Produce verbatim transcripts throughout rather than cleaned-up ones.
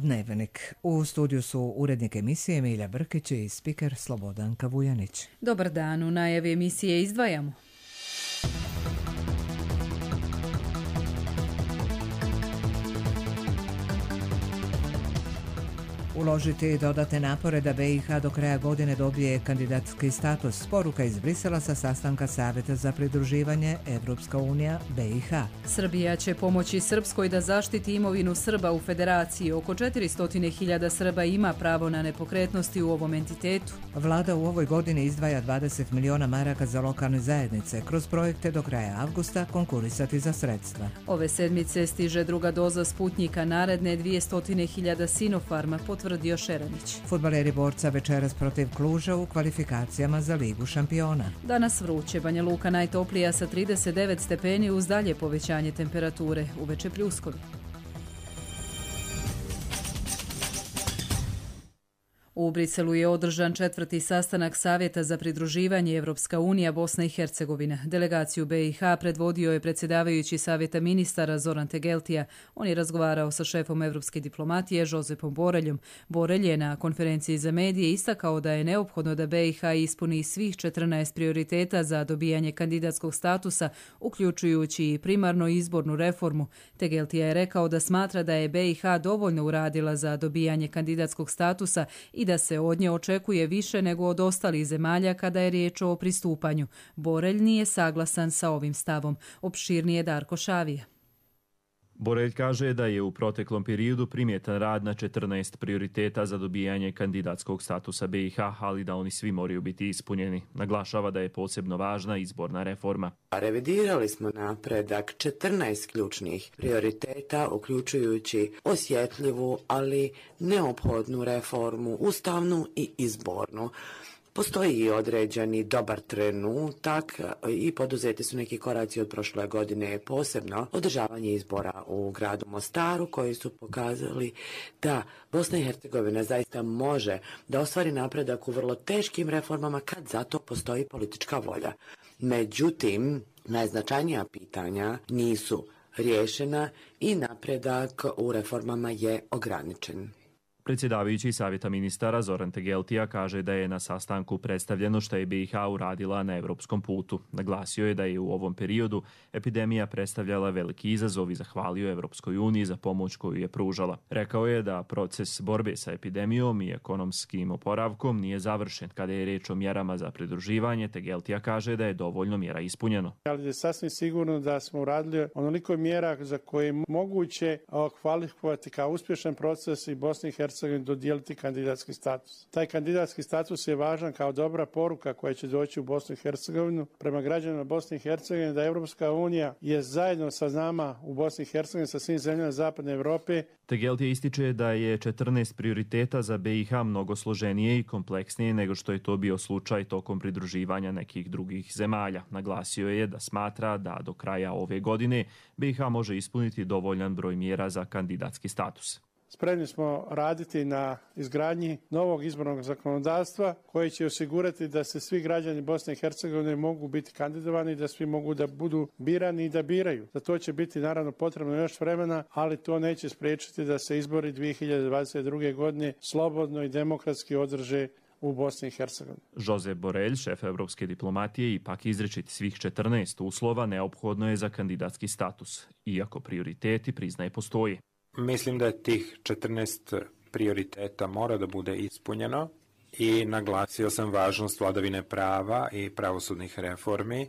Dnevnik. U studiju su urednik emisije Milja Brkić i spiker Slobodanka Vujanić. Dobar dan, u najavi emisije izdvajamo. Uložiti dodatne napore da B i H do kraja godine dobije kandidatski status. Poruka iz Brisela sa sastanka Savjeta za pridruživanje Evropska unija B i H. Srbija će pomoći Srpskoj da zaštiti imovinu Srba u Federaciji. Oko četiristo hiljada Srba ima pravo na nepokretnosti u ovom entitetu. Vlada u ovoj godini izdvaja dvadeset miliona maraka za lokalne zajednice. Kroz projekte do kraja avgusta konkurisati za sredstva. Ove sedmice stiže druga doza Sputnjika, naredne dvjesto hiljada Sinopharma, potvrdio Šeranić. Fudbaleri Borca večeras protiv Kluža u kvalifikacijama za Ligu šampiona. Danas vruće, Banja Luka najtoplija sa trideset devet stepeni uz dalje povećanje temperature, uveče pljuskovi. U Briselu je održan četvrti sastanak Savjeta za pridruživanje Evropska unija Bosna i Hercegovina. Delegaciju B i H predvodio je predsjedavajući Savjeta ministara Zoran Tegeltija. On je razgovarao sa šefom evropske diplomatije Josepom Boreljom. Borelj je na konferenciji za medije istakao da je neophodno da B i H ispuni svih četrnaest prioriteta za dobijanje kandidatskog statusa, uključujući i primarno izbornu reformu. Tegeltija je rekao da smatra da je B i H dovoljno uradila za dobijanje kandidatskog statusa i da se od nje očekuje više nego od ostalih zemalja kada je riječ o pristupanju. Borelj nije saglasan sa ovim stavom. Opširnije Darko Šavija. Borelj kaže da je u proteklom periodu primjetan rad na četrnaest prioriteta za dobijanje kandidatskog statusa B i H, ali da oni svi moraju biti ispunjeni. Naglašava da je posebno važna izborna reforma. Revidirali smo napredak četrnaest ključnih prioriteta, uključujući osjetljivu, ali neophodnu reformu, ustavnu i izbornu. Postoji i određeni dobar trenutak i poduzeti su neki koraci od prošle godine, posebno održavanje izbora u gradu Mostaru koji su pokazali da Bosna i Hercegovina zaista može da ostvari napredak u vrlo teškim reformama kad zato postoji politička volja. Međutim, najznačajnija pitanja nisu riješena i napredak u reformama je ograničen. Predsjedavajući Savjeta ministara Zoran Tegeltija kaže da je na sastanku predstavljeno što je B i H uradila na evropskom putu. Naglasio je da je u ovom periodu epidemija predstavljala veliki izazov i zahvalio Evropskoj uniji za pomoć koju je pružala. Rekao je da proces borbe sa epidemijom i ekonomskim oporavkom nije završen. Kada je riječ o mjerama za pridruživanje, Tegeltija kaže da je dovoljno mjera ispunjeno. Ali je sasvim sigurno da smo uradili onoliko mjera za koje je moguće kvalifikovati kao uspješan proces i Bosni i Hercegovini dodijeliti kandidatski status. Taj kandidatski status je važan kao dobra poruka koja će doći u Bosnu i Hercegovinu prema građanima Bosne i Hercegovine da Evropska unija je zajedno sa nama u Bosni i Hercegovini, sa svim zemljama Zapadne Europe. Tegeltija ističe da je četrnaest prioriteta za B i H mnogo složenije i kompleksnije nego što je to bio slučaj tokom pridruživanja nekih drugih zemalja. Naglasio je da smatra da do kraja ove godine B i H može ispuniti dovoljan broj mjera za kandidatski status. Spremni smo raditi na izgradnji novog izbornog zakonodavstva koje će osigurati da se svi građani Bosne i Hercegovine mogu biti kandidovani, da svi mogu da budu birani i da biraju. Za to će biti naravno potrebno još vremena, ali to neće spriječiti da se izbori dvije hiljade dvadeset druge. godine slobodno i demokratski održe u Bosni i Hercegovini. Josep Borelj, šef evropske diplomatije, ipak izričiti svih četrnaest uslova neophodno je za kandidatski status, iako prioriteti, priznaje, postoji. Mislim da tih četrnaest prioriteta mora da bude ispunjeno i naglasio sam važnost vladavine prava i pravosudnih reformi,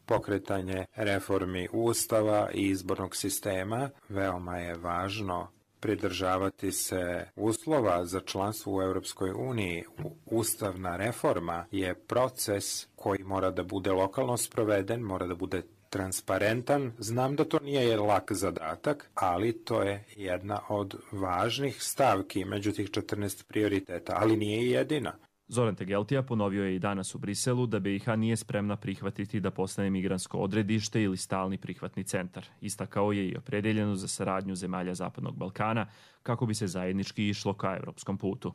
pokretanje reformi ustava i izbornog sistema. Veoma je važno pridržavati se uslova za članstvo u Europskoj uniji. Ustavna reforma je proces koji mora da bude lokalno sproveden, mora da bude transparentan. Znam da to nije lak zadatak, ali to je jedna od važnih stavki među tih četrnaest prioriteta, ali nije i jedina. Zoran Tegeltija ponovio je i danas u Briselu da B i H nije spremna prihvatiti da postane migrantsko odredište ili stalni prihvatni centar. Istakao je i opredeljeno za saradnju zemalja Zapadnog Balkana kako bi se zajednički išlo ka evropskom putu.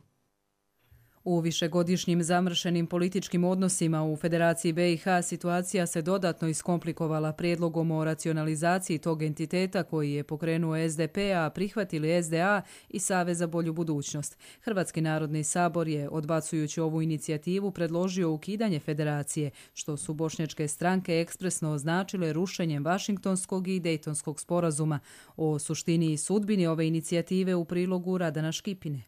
U višegodišnjim zamršenim političkim odnosima u Federaciji B i H situacija se dodatno iskomplikovala prijedlogom o racionalizaciji tog entiteta koji je pokrenuo S D P, a prihvatili S D A i Savez za bolju budućnost. Hrvatski narodni sabor je, odbacujući ovu inicijativu, predložio ukidanje federacije, što su bošnjačke stranke ekspresno označile rušenjem Vašingtonskog i Dejtonskog sporazuma. O suštini i sudbini ove inicijative u prilogu Radana Škipine.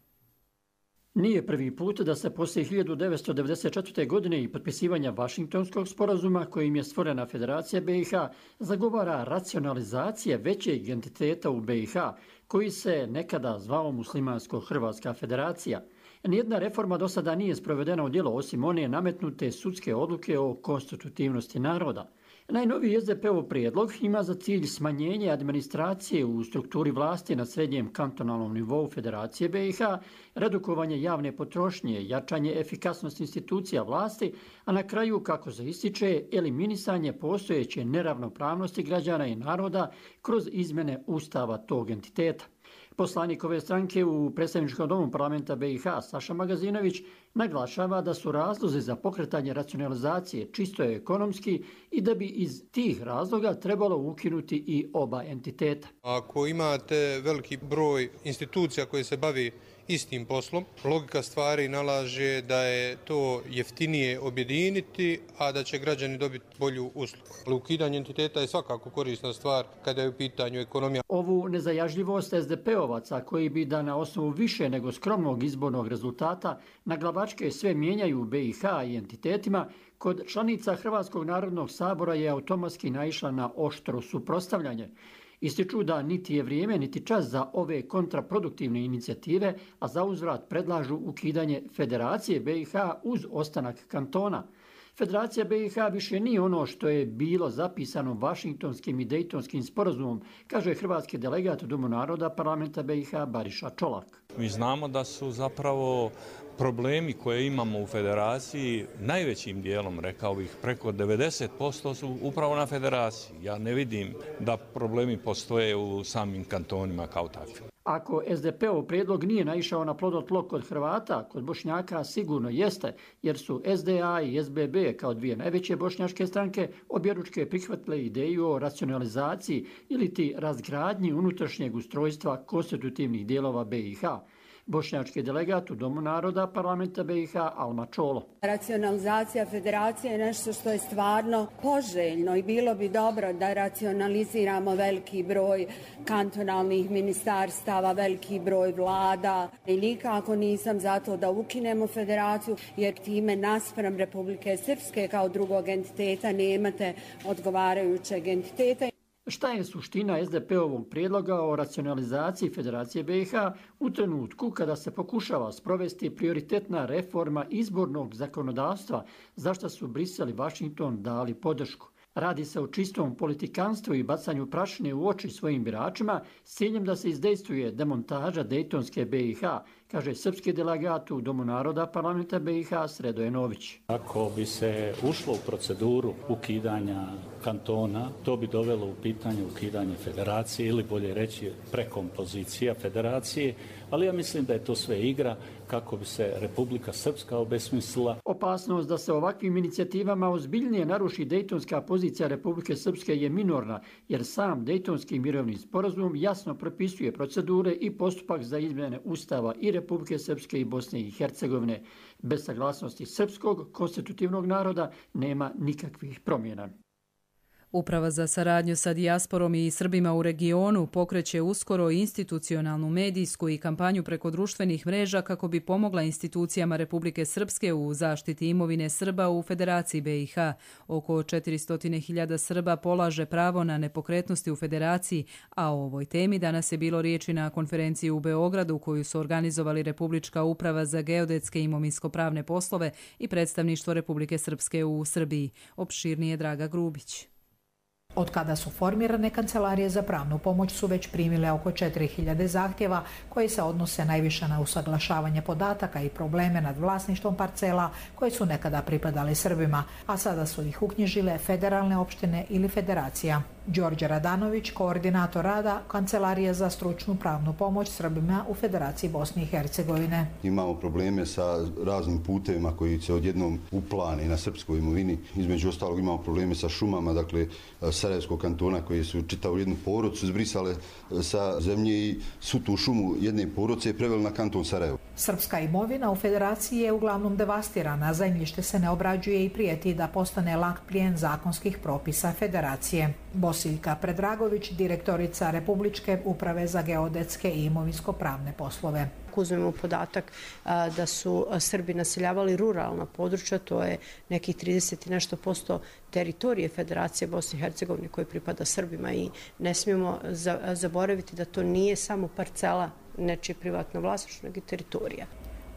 Nije prvi put da se poslije hiljadu devetsto devedeset četvrte. godine i potpisivanja Vašingtonskog sporazuma kojim je stvorena Federacija B i H zagovara racionalizacija većeg entiteta u B i H koji se nekada zvao Muslimansko-Hrvatska federacija. Nijedna reforma do sada nije sprovedena u djelo osim one nametnute sudske odluke o konstitutivnosti naroda. Najnoviji S D P-ov prijedlog ima za cilj smanjenje administracije u strukturi vlasti na srednjem kantonalnom nivou Federacije B i H, redukovanje javne potrošnje, jačanje efikasnosti institucija vlasti, a na kraju, kako se ističe, eliminisanje postojeće neravnopravnosti građana i naroda kroz izmjene ustava tog entiteta. Poslanik ove stranke u predstavničkom domu parlamenta B i H Saša Magazinović naglašava da su razlozi za pokretanje racionalizacije čisto ekonomski i da bi iz tih razloga trebalo ukinuti i oba entiteta. Ako imate veliki broj institucija koje se bavi istim poslom, logika stvari nalaže da je to jeftinije objediniti, a da će građani dobiti bolju uslugu. Ukidanje entiteta je svakako korisna stvar kada je u pitanju ekonomija. Ovu nezajažljivost S D P-ovaca koji bi da na osnovu više nego skromnog izbornog rezultata na glavačke sve mijenjaju u B i H i entitetima, kod članica Hrvatskog narodnog sabora je automatski naišla na oštro suprotstavljanje. Ističu da niti je vrijeme niti čas za ove kontraproduktivne inicijative, a za uzvrat predlažu ukidanje Federacije B i H uz ostanak kantona. Federacija B i H više nije ono što je bilo zapisano Vašingtonskim i Dejtonskim sporazumom, kaže hrvatski delegat u Domu naroda parlamenta B i H Bariša Čolak. Mi znamo da su zapravo problemi koje imamo u federaciji najvećim dijelom, rekao bih, preko devedeset posto su upravo na federaciji. Ja ne vidim da problemi postoje u samim kantonima kao takvi. Ako S D P-ov prijedlog nije naišao na plodno tlo kod Hrvata, kod Bošnjaka sigurno jeste, jer su S D A i S B B kao dvije najveće bošnjačke stranke objeručke prihvatile ideju o racionalizaciji ili ti razgradnji unutrašnjeg ustrojstva konstitutivnih dijelova B i H. Bošnjački delegat u Domu naroda parlamenta B i H Alma Čolo. Racionalizacija federacije je nešto što je stvarno poželjno i bilo bi dobro da racionaliziramo veliki broj kantonalnih ministarstava, veliki broj vlada. I nikako nisam za to da ukinemo federaciju, jer time naspram Republike Srpske kao drugog entiteta nemate odgovarajućeg entiteta. Šta je suština S D P-ovog prijedloga o racionalizaciji Federacije B i H u trenutku kada se pokušava sprovesti prioritetna reforma izbornog zakonodavstva, za što su Brisel i Vašington dali podršku? Radi se o čistom politikanstvu i bacanju prašine u oči svojim biračima s ciljem da se izdejstvuje demontaža Dejtonske B i H, kaže srpski delegat u Domu naroda parlamenta B i H Sredoje Nović. Ako bi se ušlo u proceduru ukidanja kantona, to bi dovelo u pitanje ukidanje federacije ili bolje reći prekompozicija federacije, ali ja mislim da je to sve igra kako bi se Republika Srpska obesmislila. Opasnost da se ovakvim inicijativama ozbiljnije naruši dejtonska pozicija Republike Srpske je minorna, jer sam Dejtonski mirovni sporazum jasno propisuje procedure i postupak za izmjene ustava i Republike Srpske i Bosne i Hercegovine. Bez saglasnosti srpskog konstitutivnog naroda nema nikakvih promjena. Uprava za saradnju sa dijasporom i Srbima u regionu pokreće uskoro institucionalnu medijsku i kampanju preko društvenih mreža kako bi pomogla institucijama Republike Srpske u zaštiti imovine Srba u Federaciji B i H. Oko četiristo hiljada Srba polaže pravo na nepokretnosti u Federaciji, a o ovoj temi danas je bilo riječi na konferenciji u Beogradu koju su organizovali Republička uprava za geodetske i imovinsko-pravne poslove i predstavništvo Republike Srpske u Srbiji. Opširnije Draga Grubić. Od kada su formirane kancelarije za pravnu pomoć su već primile oko četiri hiljade zahtjeva koji se odnose najviše na usaglašavanje podataka i probleme nad vlasništvom parcela koje su nekada pripadale Srbima, a sada su ih uknjižile federalne opštine ili federacija. Đorđe Radanović, koordinator rada Kancelarije za stručnu pravnu pomoć Srbima u Federaciji Bosne i Hercegovine. Imamo probleme sa raznim putevima koji se odjednom uplane na srpskoj imovini. Između ostalog imamo probleme sa šumama, dakle Sarajevskog kantona koji su čitavu jednu porodcu zbrisale sa zemlje i svu tu šumu jedne porodce je preveli na kanton Sarajevo. Srpska imovina u Federaciji je uglavnom devastirana, zemljište se ne obrađuje i prijeti da postane lak plijen zakonskih propisa Federacije. Bosiljka Predragović, direktorica Republičke uprave za geodetske i imovinsko-pravne poslove. Uzmemo podatak a, da su Srbi naseljavali ruralna područja, to je nekih trideset i nešto posto teritorije Federacije Bosne i Hercegovine koje pripada Srbima i ne smijemo za, zaboraviti da to nije samo parcela nečije privatno vlasništvo, nego i teritorija.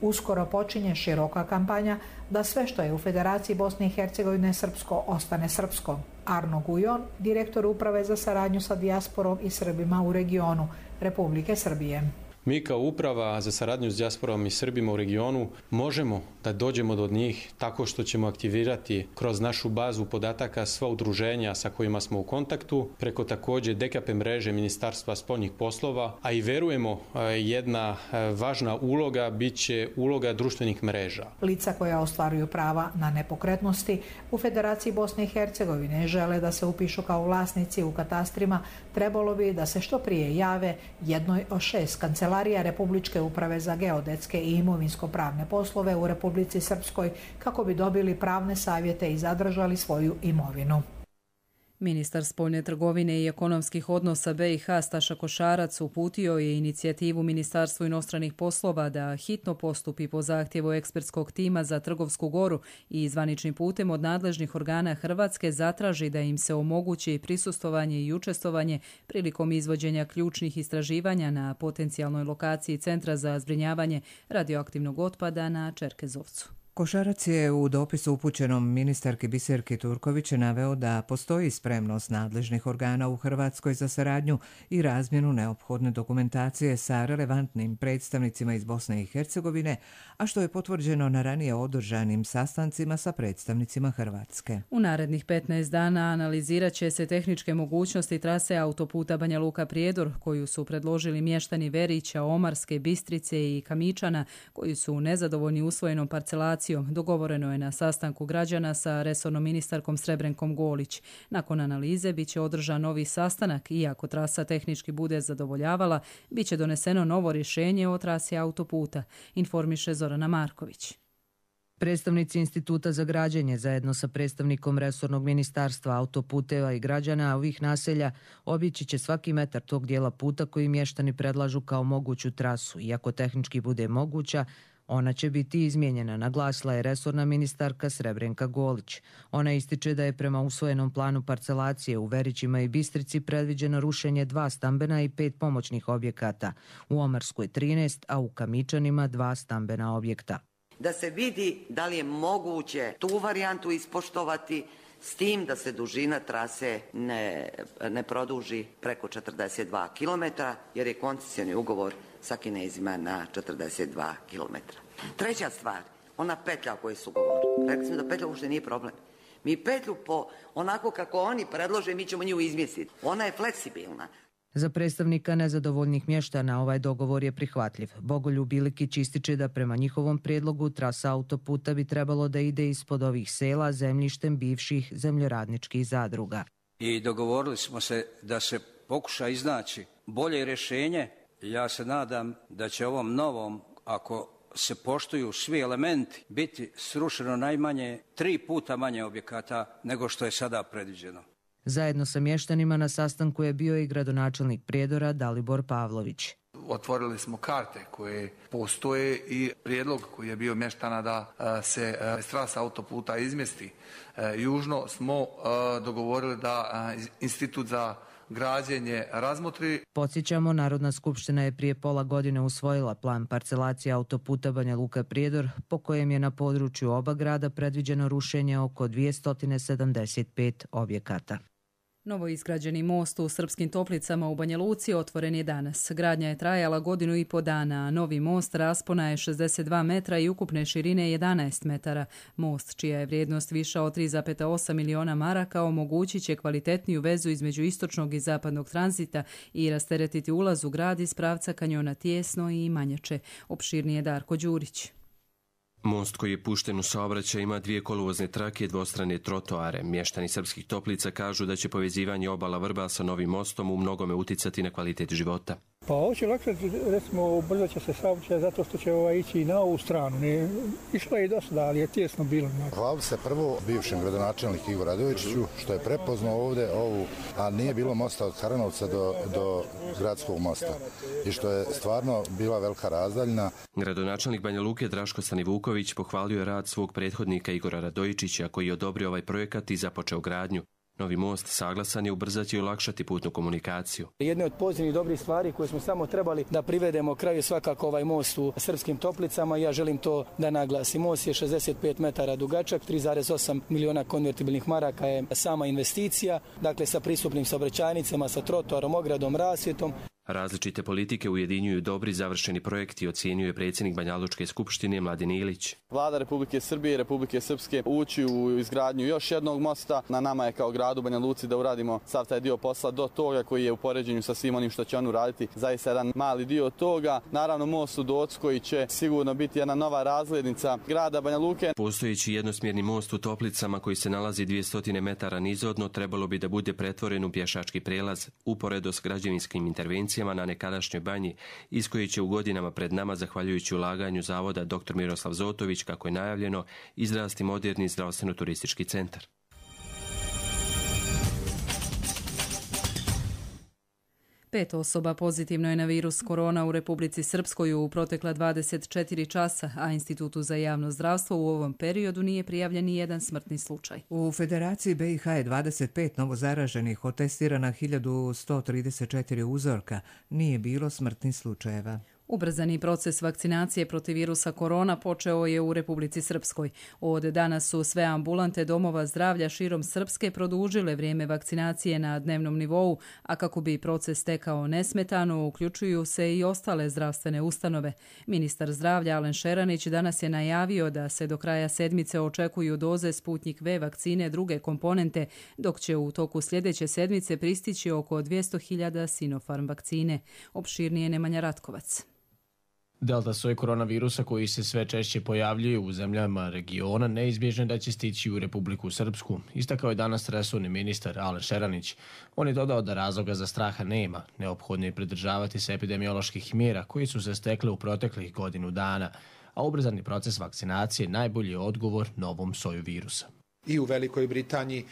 Uskoro počinje široka kampanja da sve što je u Federaciji Bosne i Hercegovine srpsko ostane srpsko. Arno Gujon, direktor uprave za saradnju sa dijasporom i Srbima u regionu Republike Srbije. Mi kao uprava za saradnju s dijasporom i Srbima u regionu možemo da dođemo do njih tako što ćemo aktivirati kroz našu bazu podataka sva udruženja sa kojima smo u kontaktu, preko također D K P mreže Ministarstva spoljnih poslova, a i verujemo jedna važna uloga bit će uloga društvenih mreža. Lica koja ostvaruju prava na nepokretnosti u Federaciji Bosne i Hercegovine žele da se upišu kao vlasnici u katastrima, trebalo bi da se što prije jave jednoj od šest kancelarija Republičke uprave za geodetske i imovinsko-pravne poslove u Republici Srpskoj kako bi dobili pravne savjete i zadržali svoju imovinu. Ministar spoljne trgovine i ekonomskih odnosa B i H Staša Košarac uputio je inicijativu Ministarstvu inostranih poslova da hitno postupi po zahtjevu ekspertskog tima za Trgovsku Goru i zvaničnim putem od nadležnih organa Hrvatske zatraži da im se omogući prisustvovanje i učestvovanje prilikom izvođenja ključnih istraživanja na potencijalnoj lokaciji Centra za zbrinjavanje radioaktivnog otpada na Čerkezovcu. Košarac je u dopisu upućenom ministarki Biserki Turković naveo da postoji spremnost nadležnih organa u Hrvatskoj za saradnju i razmjenu neophodne dokumentacije sa relevantnim predstavnicima iz Bosne i Hercegovine, a što je potvrđeno na ranije održanim sastancima sa predstavnicima Hrvatske. U narednih petnaest dana analizirat će se tehničke mogućnosti trase autoputa Banja Luka-Prijedor, koju su predložili mještani Verića, Omarske, Bistrice i Kamičana, koji su nezadovoljni usvojenom parcelacijom. Dogovoreno je na sastanku građana sa resornom ministarkom Srebrenkom Golić. Nakon analize bit će održan novi sastanak i ako trasa tehnički bude zadovoljavala, bit će doneseno novo rješenje o trasi autoputa, informiše Zorana Marković. Predstavnici Instituta za građenje zajedno sa predstavnikom resornog ministarstva autoputeva i građana ovih naselja obići će svaki metar tog dijela puta koji mještani predlažu kao moguću trasu. Iako tehnički bude moguća, ona će biti izmijenjena, naglasila je resorna ministarka Srebrenka Golić. Ona ističe da je prema usvojenom planu parcelacije u Verićima i Bistrici predviđeno rušenje dva stambena i pet pomoćnih objekata, u Omarskoj trinaest, a u Kamičanima dva stambena objekta. Da se vidi da li je moguće tu varijantu ispoštovati s tim da se dužina trase ne, ne produži preko četrdeset dva kilometra, jer je koncesioni ugovor sa Kinezima na četrdeset dva kilometra. Treća stvar, ona petlja o kojoj su govorili. Rekli smo da petlja uopšte nije problem. Mi petlju po onako kako oni predlože, mi ćemo nju izmjestiti. Ona je fleksibilna. Za predstavnika nezadovoljnih mještana ovaj dogovor je prihvatljiv. Bogoljub Bilikić ističe da prema njihovom prijedlogu trasa autoputa bi trebalo da ide ispod ovih sela zemljištem bivših zemljoradničkih zadruga. I dogovorili smo se da se pokuša iznaći bolje rješenje. Ja se nadam da će ovom novom, ako se poštuju svi elementi, biti srušeno najmanje tri puta manje objekata nego što je sada predviđeno. Zajedno sa mještanima na sastanku je bio i gradonačelnik Prijedora Dalibor Pavlović. Otvorili smo karte koje postoje i prijedlog koji je bio mještana da se trasa autoputa izmjesti južno smo dogovorili da Institut za građenje razmotri. Podsjećamo, Narodna skupština je prije pola godine usvojila plan parcelacije autoputa Banja Luka-Prijedor, po kojem je na području oba grada predviđeno rušenje oko dvjesto sedamdeset pet objekata. Novo izgrađeni most u Srpskim Toplicama u Banja Luci otvoren je danas. Gradnja je trajala godinu i po dana, a novi most raspona je šezdeset dva metra i ukupne širine jedanaest metara. Most, čija je vrijednost viša od tri zarez osam miliona maraka, omogućit će kvalitetniju vezu između istočnog i zapadnog tranzita i rasteretiti ulaz u grad iz pravca kanjona Tijesno i Manjače. Opširnije Darko Đurić. Most koji je pušten u saobraćaj ima dvije koluvozne trake i dvostrane trotoare. Mještani Srpskih Toplica kažu da će povezivanje obala Vrba sa novim mostom u mnogome uticati na kvalitet života. Pa ovo će olakšati, recimo, ubrzat će se saobraćaj zato što će ovaj ići na ovu stranu. Ne, išlo je i do sada, ali je tijesno bilo. Hvala se prvo bivšem gradonačelniku Igoru Radojičiću što je prepoznao ovdje ovu, a nije bilo mosta od Haranovca do, do gradskog mosta. I što je stvarno bila velika razdaljina. Gradonačelnik Banja Luke Draško Stanivuković pohvalio je rad svog prethodnika Igora Radojičića koji je odobrio ovaj projekat i započeo gradnju. Novi most saglasan je ubrzati i olakšati putnu komunikaciju. Jedna od pozitivnih dobrih stvari koje smo samo trebali da privedemo kraju svakako ovaj most u Srpskim Toplicama. Ja želim to da naglasim. Most je šezdeset pet metara dugačak, tri zarez osam miliona konvertibilnih maraka je sama investicija, dakle sa pristupnim saobraćajnicama, sa trotoarom, ogradom, rasvjetom. Različite politike ujedinjuju dobri završeni projekti, ocjenjuje predsjednik Banjalučke skupštine Mladen Ilić. Vlada Republike Srbije i Republike Srpske ući u izgradnju još jednog mosta. Na nama je kao gradu Banja Luci da uradimo sav taj dio posla do toga koji je u poređenju sa svim onim što će on uraditi. Zaista jedan mali dio toga. Naravno most u Doc koji će sigurno biti jedna nova razglednica grada Banja Luke. Postojeći jednosmjerni most u Toplicama koji se nalazi dvjesto metara nizvodno trebalo bi da bude pretvoren u pješački prelaz uporedo s građevinskim intervencijama na nekadašnjoj banji, iz koje će u godinama pred nama, zahvaljujući ulaganju zavoda doktor Miroslav Zotović, kako je najavljeno, izrasti moderni zdravstveno-turistički centar. Pet osoba pozitivno je na virus korona u Republici Srpskoj u protekla dvadeset četiri časa, a Institutu za javno zdravstvo u ovom periodu nije prijavljen ni jedan smrtni slučaj. U Federaciji B i H je dvadeset pet novozaraženih, od testirana hiljadu sto trideset četiri uzorka, nije bilo smrtnih slučajeva. Ubrzani proces vakcinacije protiv virusa korona počeo je u Republici Srpskoj. Od danas su sve ambulante domova zdravlja širom Srpske produžile vrijeme vakcinacije na dnevnom nivou, a kako bi proces tekao nesmetano, uključuju se i ostale zdravstvene ustanove. Ministar zdravlja Alen Šeranić danas je najavio da se do kraja sedmice očekuju doze Sputnik V vakcine druge komponente, dok će u toku sljedeće sedmice pristići oko dvjesto hiljada Sinopharm vakcine. Opširnije Nemanja Ratkovac. Delta soj koronavirusa koji se sve češće pojavljuje u zemljama regiona neizbježno da će stići u Republiku Srpsku, istakao je danas resorni ministar Alen Šeranić. On je dodao da razloga za straha nema, neophodno je pridržavati se epidemioloških mjera koji su se stekle u proteklih godinu dana, a ubrzani proces vakcinacije najbolji je odgovor novom soju virusa. I u Velikoj Britaniji,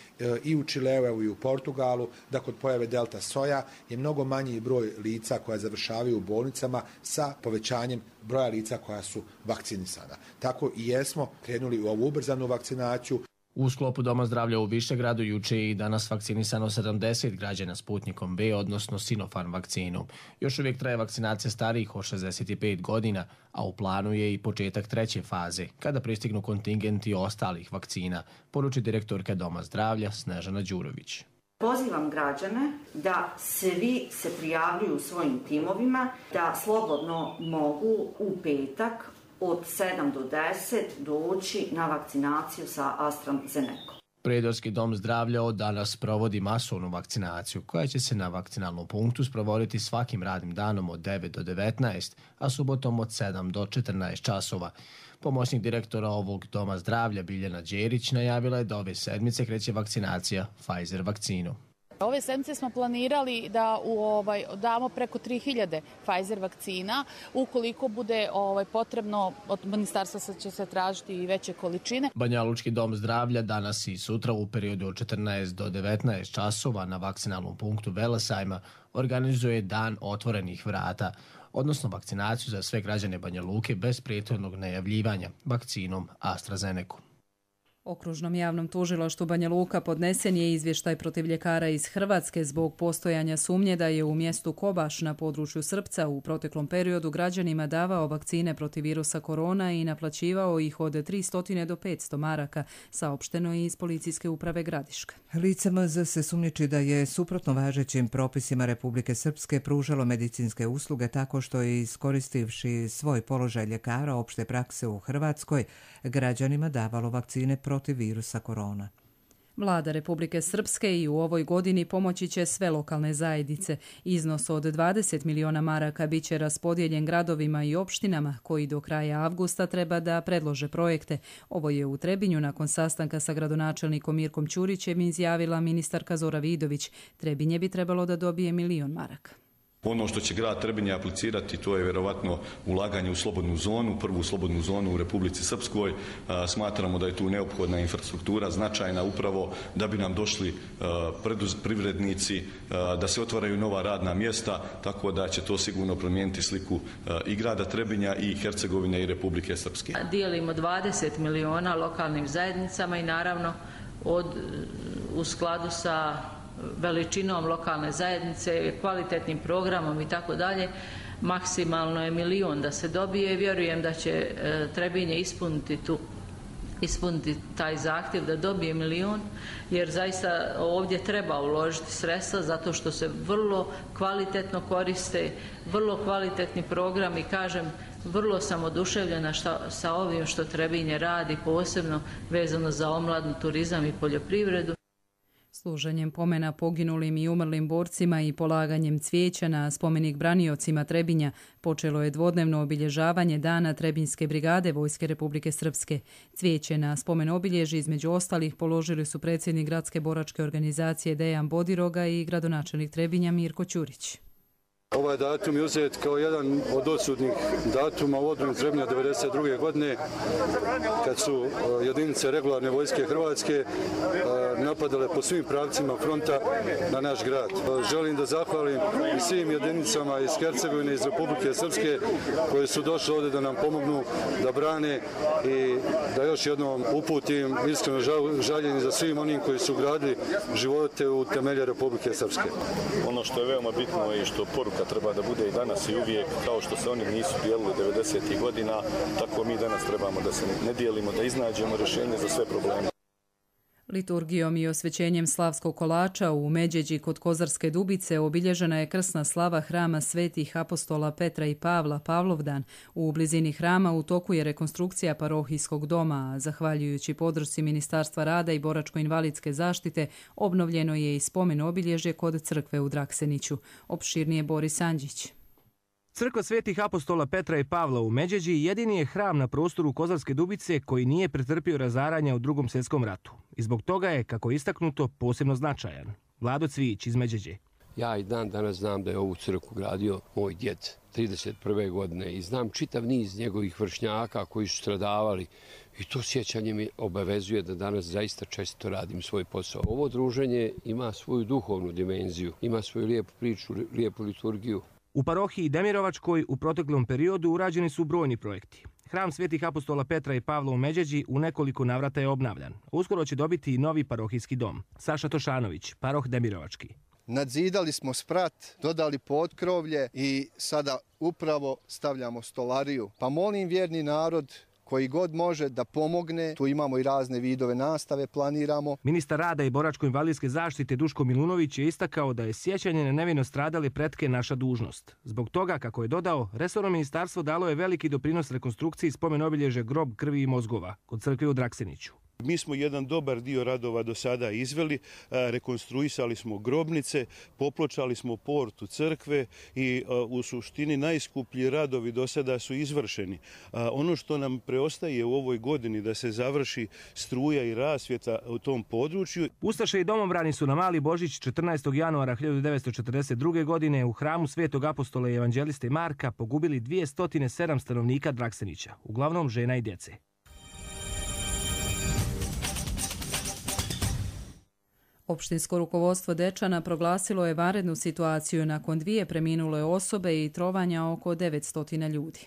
i u Čileu, i u Portugalu, da kod pojave delta soja je mnogo manji broj lica koja završavaju u bolnicama sa povećanjem broja lica koja su vakcinisana. Tako i jesmo krenuli u ovu ubrzanu vakcinaciju. U sklopu Doma zdravlja u Višegradu juče je i danas vakcinisano sedamdeset građana Sputnikom V, odnosno Sinopharm vakcinom. Još uvijek traje vakcinacija starijih od šezdeset pet godina, a u planu je i početak treće faze, kada pristignu kontingenti ostalih vakcina, poruči direktorka Doma zdravlja Snežana Đurović. Pozivam građane da svi se prijavljuju svojim timovima, da slobodno mogu u petak od sedam do deset doći na vakcinaciju sa AstraZenecom. Prijedorski dom zdravlja od danas provodi masovnu vakcinaciju, koja će se na vakcinalnom punktu sprovoditi svakim radnim danom od devet do devetnaest, a subotom od sedam do četrnaest časova. Pomoćnik direktora ovog doma zdravlja Biljana Đerić najavila je da ove sedmice kreće vakcinacija Pfizer vakcinom. Ove sedmice smo planirali da u ovaj damo preko tri hiljade Pfizer vakcina. Ukoliko bude ovaj potrebno, od ministarstva će se tražiti i veće količine. Banjalučki dom zdravlja danas i sutra u periodu od četrnaest do devetnaest časova na vakcinalnom punktu Velesajma organizuje dan otvorenih vrata, odnosno vakcinaciju za sve građane Banja Luke bez prethodnog najavljivanja vakcinom AstraZeneca. Okružnom javnom tužilaštvu Banja Luka podnesen je izvještaj protiv ljekara iz Hrvatske zbog postojanja sumnje da je u mjestu Kobaš na području Srpca u proteklom periodu građanima davao vakcine protiv virusa korona i naplaćivao ih od tristo do petsto maraka, saopšteno je iz Policijske uprave Gradiška. Lice M Z se sumnjiči da je suprotno važećim propisima Republike Srpske pružalo medicinske usluge tako što je, iskoristivši svoj položaj ljekara opšte prakse u Hrvatskoj, građanima davalo vakcine protiv virusa korona. Vlada Republike Srpske i u ovoj godini pomoći će sve lokalne zajednice. Iznos od dvadeset miliona maraka bit će raspodijeljen gradovima i opštinama koji do kraja avgusta treba da predlože projekte. Ovo je u Trebinju nakon sastanka sa gradonačelnikom Mirkom Ćurićem izjavila ministarka Zora Vidović. Trebinje bi trebalo da dobije milion maraka. Ono što će grad Trebinje aplicirati, to je vjerovatno ulaganje u slobodnu zonu, prvu slobodnu zonu u Republici Srpskoj. Smatramo da je tu neophodna infrastruktura značajna upravo da bi nam došli privrednici, da se otvaraju nova radna mjesta, tako da će to sigurno promijeniti sliku i grada Trebinja i Hercegovine i Republike Srpske. Dijelimo dvadeset miliona lokalnim zajednicama i naravno od, u skladu sa veličinom lokalne zajednice, kvalitetnim programom i tako dalje, maksimalno je milion da se dobije. Vjerujem da će Trebinje ispuniti tu ispuniti taj zahtjev da dobije milion, jer zaista ovdje treba uložiti sredstva zato što se vrlo kvalitetno koriste, vrlo kvalitetni program i kažem, vrlo sam oduševljena šta, sa ovim što Trebinje radi, posebno vezano za omladnu, turizam i poljoprivredu. Služenjem pomena poginulim i umrlim borcima i polaganjem cvijeća na spomenik braniocima Trebinja počelo je dvodnevno obilježavanje Dana Trebinjske brigade Vojske Republike Srpske. Cvijeće na spomen obilježi između ostalih položili su predsjednik gradske boračke organizacije Dejan Bodiroga i gradonačelnik Trebinja Mirko Ćurić. Ovaj datum je uzet kao jedan od odsudnih datuma u odbrani Trebinja devedeset druge godine, kad su jedinice regularne vojske Hrvatske napadale po svim pravcima fronta na naš grad. Želim da zahvalim i svim jedinicama iz Hercegovine, iz Republike Srpske koji su došli ovdje da nam pomognu da brane i da još jednom uputim iskreno žaljenje za svim onim koji su gradili živote u temelje Republike Srpske. Ono što je veoma bitno i što poruka treba da bude i danas i uvijek, kao što se oni nisu dijelili devedesetih godina, tako mi danas trebamo da se ne dijelimo, da iznađemo rješenje za sve probleme. Liturgijom i osvećenjem slavskog kolača u Međeđi kod Kozarske Dubice obilježena je krsna slava hrama svetih apostola Petra i Pavla, Pavlovdan. U blizini hrama u toku je rekonstrukcija parohijskog doma, a zahvaljujući podršci Ministarstva rada i boračko-invalidske zaštite obnovljeno je i spomen obilježje kod crkve u Drakseniću. Opširnije Boris Andžić. Crkva svetih apostola Petra i Pavla u Međeđi jedini je hram na prostoru Kozarske Dubice koji nije pretrpio razaranja u Drugom svjetskom ratu. I zbog toga je, kako je istaknuto, posebno značajan. Vlado Cvijić iz Međeđe. Ja i dan danas znam da je ovu crkvu gradio moj djed trideset prve godine i znam čitav niz njegovih vršnjaka koji su stradavali i to sjećanje mi obavezuje da danas zaista često radim svoj posao. Ovo druženje ima svoju duhovnu dimenziju, ima svoju lijepu priču, lijepu liturgiju. U parohiji Demirovačkoj u proteklom periodu urađeni su brojni projekti. Hram svetih apostola Petra i Pavla u Međeđi u nekoliko navrata je obnavljan. Uskoro će dobiti i novi parohijski dom. Saša Tošanović, paroh Demirovački. Nadzidali smo sprat, dodali potkrovlje i sada upravo stavljamo stolariju. Pa molim vjerni narod koji god može da pomogne, tu imamo i razne vidove nastave, planiramo. Ministar rada i boračko-invalidske zaštite Duško Milunović je istakao da je sjećanje na nevino stradale pretke naša dužnost. Zbog toga, kako je dodao, resorno ministarstvo dalo je veliki doprinos rekonstrukciji spomen obilježe grob krvi i mozgova kod crkve u Drakseniću. Mi smo jedan dobar dio radova do sada izveli, rekonstruisali smo grobnice, popločali smo portu crkve i u suštini najskuplji radovi do sada su izvršeni. Ono što nam preostaje u ovoj godini da se završi struja i rasvjeta u tom području. Ustaše i domobrani su na Mali Božić četrnaestog januara hiljadu devetsto četrdeset druge. godine u hramu Svetog apostola i evanđeliste Marka pogubili dvjesto sedam stanovnika Draksenića, uglavnom žena i djece. Opštinsko rukovodstvo Dečana proglasilo je vanrednu situaciju nakon dvije preminule osobe i trovanja oko devetsto ljudi.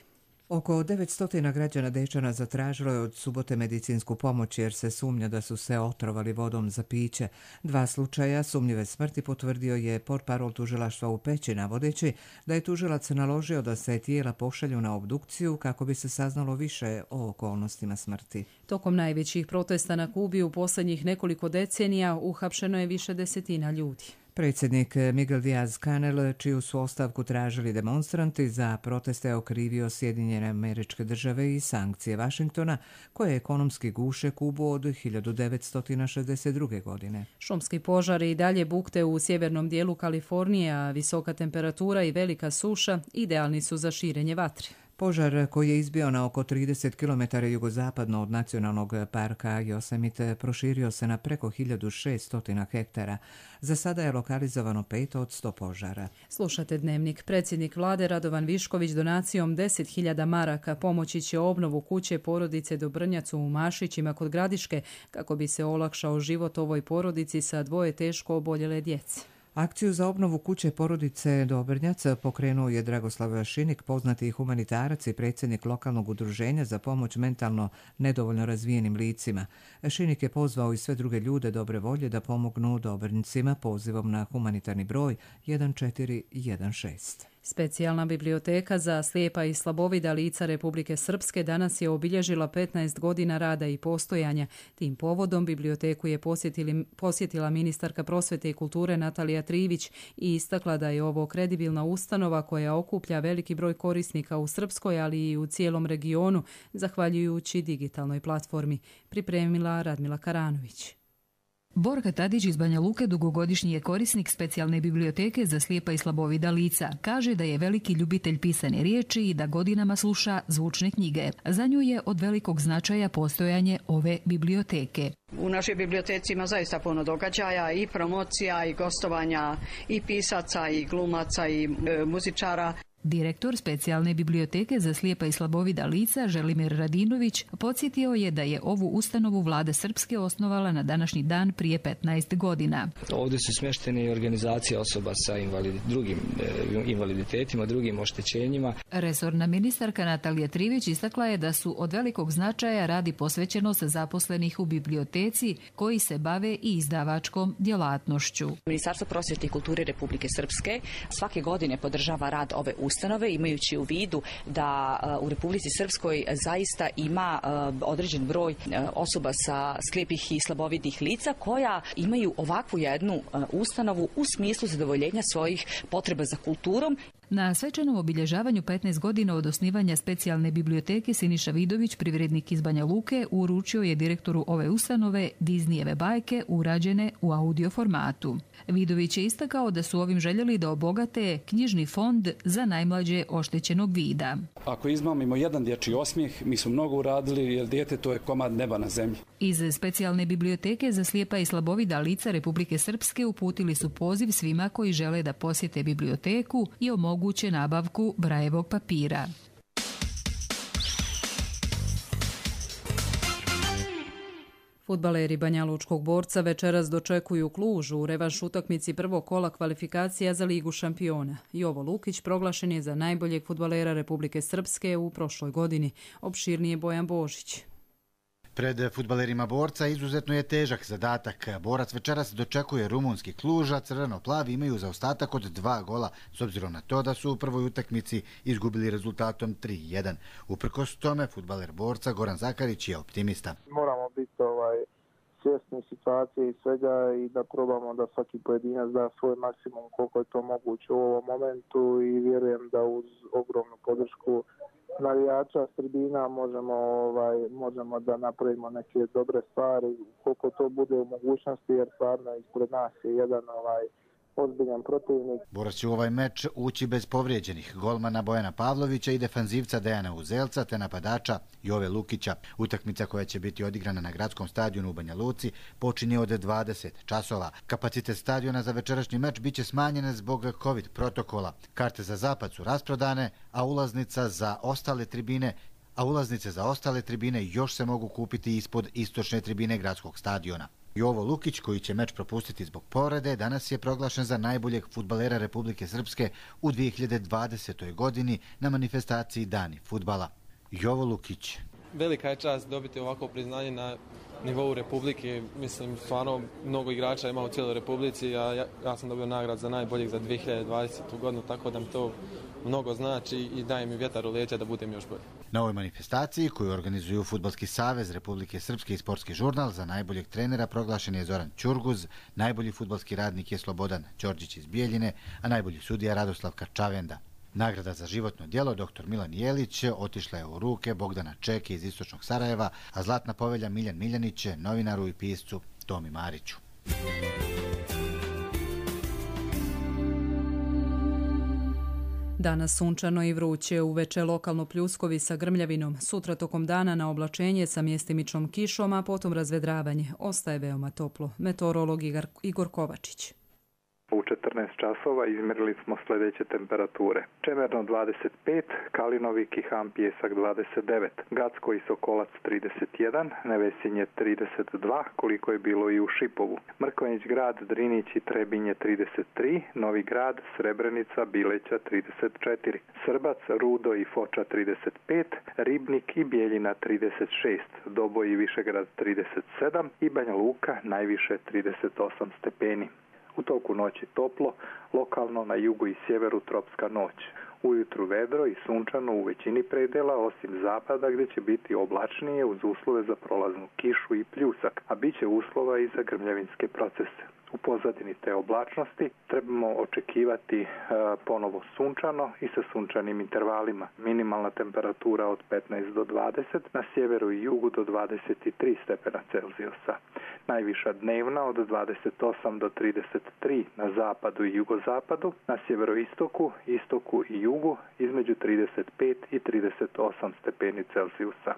Oko devetsto građana Dečana zatražilo je od subote medicinsku pomoć jer se sumnja da su se otrovali vodom za piće. Dva slučaja sumnjive smrti potvrdio je portparol tužilaštva u Peći, navodeći da je tužilac naložio da se tijela pošalju na obdukciju kako bi se saznalo više o okolnostima smrti. Tokom najvećih protesta na Kubi u posljednjih nekoliko decenija uhapšeno je više desetina ljudi. Predsjednik Miguel Díaz-Canel, čiju su ostavku tražili demonstranti, za proteste okrivio Sjedinjene Američke Države i sankcije Vašingtona, koje ekonomski guše Kubu od hiljadu devetsto šezdeset druge. godine. Šumski požari i dalje bukte u sjevernom dijelu Kalifornije, a visoka temperatura i velika suša idealni su za širenje vatre. Požar koji je izbio na oko trideset kilometara jugozapadno od nacionalnog parka Yosemite proširio se na preko hiljadu šeststo hektara. Za sada je lokalizovano pet od sto požara. Slušate Dnevnik. Predsjednik vlade Radovan Višković donacijom deset hiljada maraka pomoći će obnovu kuće porodice Dobrnjac u Mašićima kod Gradiške kako bi se olakšao život ovoj porodici sa dvoje teško oboljele djece. Akciju za obnovu kuće porodice Dobrnjac pokrenuo je Dragoslav Šinik, poznati humanitarac i predsjednik lokalnog udruženja za pomoć mentalno nedovoljno razvijenim licima. Šinik je pozvao i sve druge ljude dobre volje da pomognu Dobrnjacima pozivom na humanitarni broj jedan četiri jedan šest. Specijalna biblioteka za slijepa i slabovida lica Republike Srpske danas je obilježila petnaest godina rada i postojanja. Tim povodom biblioteku je posjetili, posjetila ministarka prosvete i kulture Natalija Trivić i istakla da je ovo kredibilna ustanova koja okuplja veliki broj korisnika u Srpskoj, ali i u cijelom regionu, zahvaljujući digitalnoj platformi. Pripremila Radmila Karanović. Borka Tadić iz Banja Luke dugogodišnji je korisnik specijalne biblioteke za slijepa i slabovida lica. Kaže da je veliki ljubitelj pisane riječi i da godinama sluša zvučne knjige. Za nju je od velikog značaja postojanje ove biblioteke. U našoj biblioteci ima zaista puno događaja i promocija i gostovanja i pisaca i glumaca i e, muzičara. Direktor specijalne biblioteke za slijepa i slabovida lica Želimir Radinović podsjetio je da je ovu ustanovu vlada Srpske osnovala na današnji dan prije petnaest godina. Ovdje su smještene i organizacije osoba sa invalid, drugim e, invaliditetima, drugim oštećenjima. Resorna ministarka Natalija Trivić istakla je da su od velikog značaja radi posvećenost zaposlenih u biblioteci koji se bave i izdavačkom djelatnošću. Ministarstvo prosvjete i kulture Republike Srpske svake godine podržava rad ove ustanove ustanove, imajući u vidu da u Republici Srpskoj zaista ima određen broj osoba sa slijepih i slabovidih lica koja imaju ovakvu jednu ustanovu u smislu zadovoljenja svojih potreba za kulturom. Na svečanom obilježavanju petnaest godina od osnivanja specijalne biblioteke Siniša Vidović, privrednik iz Banja Luke, uručio je direktoru ove ustanove Disneyjeve bajke urađene u audio formatu. Vidović je istakao da su ovim željeli da obogate knjižni fond za najmlađe oštećenog vida. Ako izmamimo jedan dječji osmijeh, mi smo mnogo uradili jer dijete to je komad neba na zemlji. Iz specijalne biblioteke za slijepa i slabovida lica Republike Srpske uputili su poziv svima koji žele da posjete biblioteku i omoguće nabavku brajevog papira. Fudbaleri Banjalučkog Borca večeras dočekuju Kluž u revanš utakmici prvog kola kvalifikacija za Ligu šampiona. Jovo Lukić proglašen je za najboljeg fudbalera Republike Srpske u prošloj godini. Opširnije Bojan Božić. Pred fudbalerima Borca izuzetno je težak zadatak. Borac večeras dočekuje rumunski Kluž, a crveno-plavi imaju zaostatak od dva gola, s obzirom na to da su u prvoj utakmici izgubili rezultatom tri jedan. Uprkos tome, fudbaler Borca Goran Zakarić je optimista. Moramo biti ovaj, svjesni situacije i svega i da probamo da svaki pojedinac da svoj maksimum koliko je to moguće u ovom momentu i vjerujem da uz ogromnu podršku navijača s tribina možemo, ovaj, možemo da napravimo neke dobre stvari koliko to bude u mogućnosti jer stvarno ispred nas je jedan ovaj, ozbiljan protivnik. Borac će u ovaj meč ući bez povrijeđenih golmana Bojana Pavlovića i defanzivca Dejana Uzelca te napadača Jove Lukića. Utakmica koja će biti odigrana na gradskom stadionu u Banja Luci počinje od dvadeset časova. Kapacitet stadiona za večerašnji meč biće smanjen zbog COVID protokola. Karte za zapad su rasprodane, a ulaznica za ostale tribine a ulaznice za ostale tribine još se mogu kupiti ispod istočne tribine gradskog stadiona. Jovo Lukić, koji će meč propustiti zbog povrede, danas je proglašen za najboljeg fudbalera Republike Srpske u dvije hiljade dvadesetoj. godini na manifestaciji Dani fudbala. Jovo Lukić. Velika je čast dobiti ovako priznanje na nivou Republike. Mislim, stvarno mnogo igrača ima u cijeloj Republici, a ja, ja sam dobio nagrad za najboljeg za dvije hiljade dvadesete. godinu, tako da mi to mnogo znači i daje mi vjetar u leđa da budem još bolji. Na ovoj manifestaciji koju organizuju Fudbalski savez Republike Srpske i Sportski žurnal za najboljeg trenera proglašen je Zoran Ćurguz, najbolji fudbalski radnik je Slobodan Đorđić iz Bijeljine, a najbolji sudija Radoslav Kačavenda. Nagrada za životno djelo doktor Milan Jelić otišla je u ruke Bogdana Čeke iz Istočnog Sarajeva, a zlatna povelja Miljan Miljanić novinaru i piscu Tomi Mariću. Danas sunčano i vruće, uveče lokalno pljuskovi sa grmljavinom, sutra tokom dana na oblačenje sa mjestimičnom kišom, a potom razvedravanje. Ostaje veoma toplo. Meteorolog Igor Kovačić. U četrnaest časova izmjerili smo sljedeće temperature. Čemerno dvadeset pet, Kalinovik i Ham Pjesak dvadeset devet, Gacko i Sokolac trideset jedan, Nevesinje trideset dva, koliko je bilo i u Šipovu. Mrkonjić grad, Drinić i Trebinje trideset tri, Novi grad, Srebrenica, Bileća trideset četiri, Srbac, Rudo i Foča trideset pet, Ribnik i Bijeljina trideset šest, Doboj i Višegrad trideset sedam i Banja Luka najviše trideset osam stepeni. U toku noći toplo, lokalno na jugu i sjeveru tropska noć. Ujutru vedro i sunčano u većini predela, osim zapada gdje će biti oblačnije uz uslove za prolaznu kišu i pljusak, a bit će uslova i za grmljavinske procese. U pozadini te oblačnosti trebamo očekivati e, ponovo sunčano i sa sunčanim intervalima. Minimalna temperatura od petnaest do dvadeset, na sjeveru i jugu do dvadeset tri stepena Celzijusa. Najviša dnevna od dvadeset osam do trideset tri na zapadu i jugozapadu, na sjeveroistoku, istoku i jugu između trideset pet i trideset osam stepeni Celzijusa.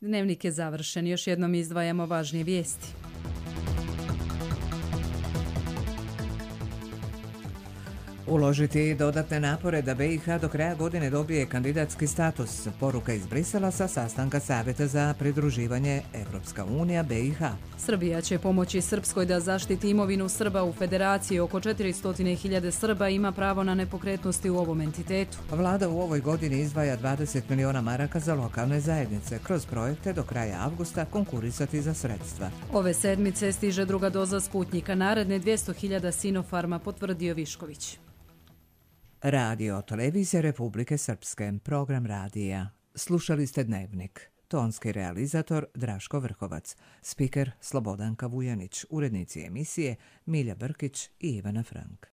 Dnevnik je završen. Još jednom izdvajamo važnije vijesti. Uložiti dodatne napore da B i H do kraja godine dobije kandidatski status. Poruka iz Brisela sa sastanka Savjeta za pridruživanje Evropska unija B i H. Srbija će pomoći Srpskoj da zaštiti imovinu Srba u Federaciji. Oko četiristo hiljada Srba ima pravo na nepokretnosti u ovom entitetu. Vlada u ovoj godini izdvaja dvadeset miliona maraka za lokalne zajednice. Kroz projekte do kraja avgusta konkurisati za sredstva. Ove sedmice stiže druga doza Sputnjika. Naredne dvjesto hiljada Sinofarma, potvrdio Višković. Radio Televizija Republike Srpske, program radija. Slušali ste Dnevnik. Tonski realizator Draško Vrhovac, spiker Slobodanka Vujanić, urednici emisije Milja Brkić i Ivana Frank.